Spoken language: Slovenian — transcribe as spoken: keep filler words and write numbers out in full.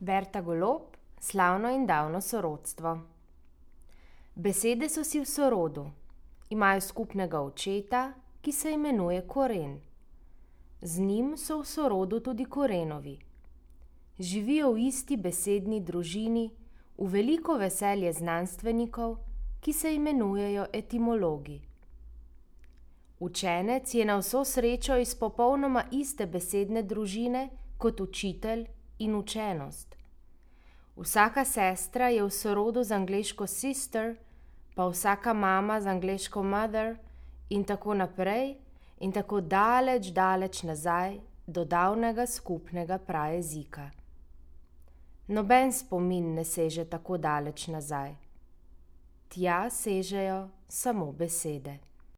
Berta Golob, slavno in davno sorodstvo. Besede so si v sorodu, imajo skupnega očeta, ki se imenuje koren. Z njim so v sorodu tudi korenovi. Živijo v isti besedni družini, v veliko veselje znanstvenikov, ki se imenujejo etimologi. Učenec je na vso srečo iz popolnoma iste besedne družine kot učitelj in učenost. Vsaka sestra je v sorodu z angleško sister, pa vsaka mama z angleško mother in tako naprej in tako daleč, daleč nazaj do davnega skupnega prajezika. Noben spomin ne seže tako daleč nazaj. Tja sežejo samo besede.